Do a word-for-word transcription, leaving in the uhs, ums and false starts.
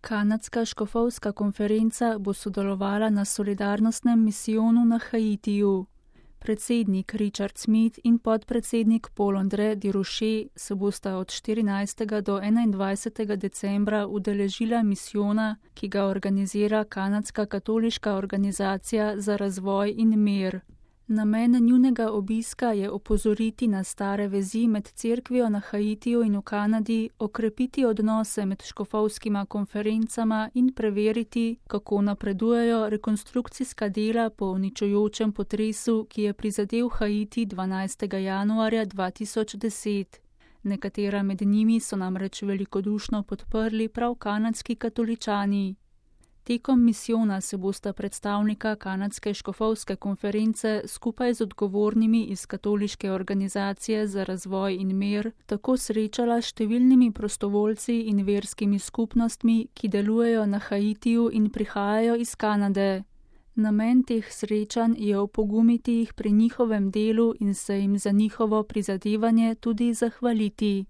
Kanadska škofovska konferenca bo sodelovala na solidarnostnem misijonu na Haitiju. Predsednik Richard Smith in podpredsednik Paul-André Durocher se bosta od štirinajstega do enaindvajsetega decembra udeležila misijona, ki ga organizira Kanadska katoliška organizacija za razvoj in mir. Namen njunega obiska je opozoriti na stare vezi med cerkvijo na Haitiju in v Kanadi, okrepiti odnose med škofovskima konferencama in preveriti, kako napredujejo rekonstrukcijska dela po uničujočem potresu, ki je prizadel Haiti dvanajstega januarja dva tisoč deset. Nekatera med njimi so namreč velikodušno podprli prav kanadski katoličani. Tekom misijona se bosta predstavnika Kanadske škofovske konference skupaj z odgovornimi iz katoliške organizacije za razvoj in mir tako srečala s številnimi prostovoljci in verskimi skupnostmi, ki delujejo na Haitiju in prihajajo iz Kanade. Namen teh srečanj je opogumiti jih pri njihovem delu in se jim za njihovo prizadevanje tudi zahvaliti.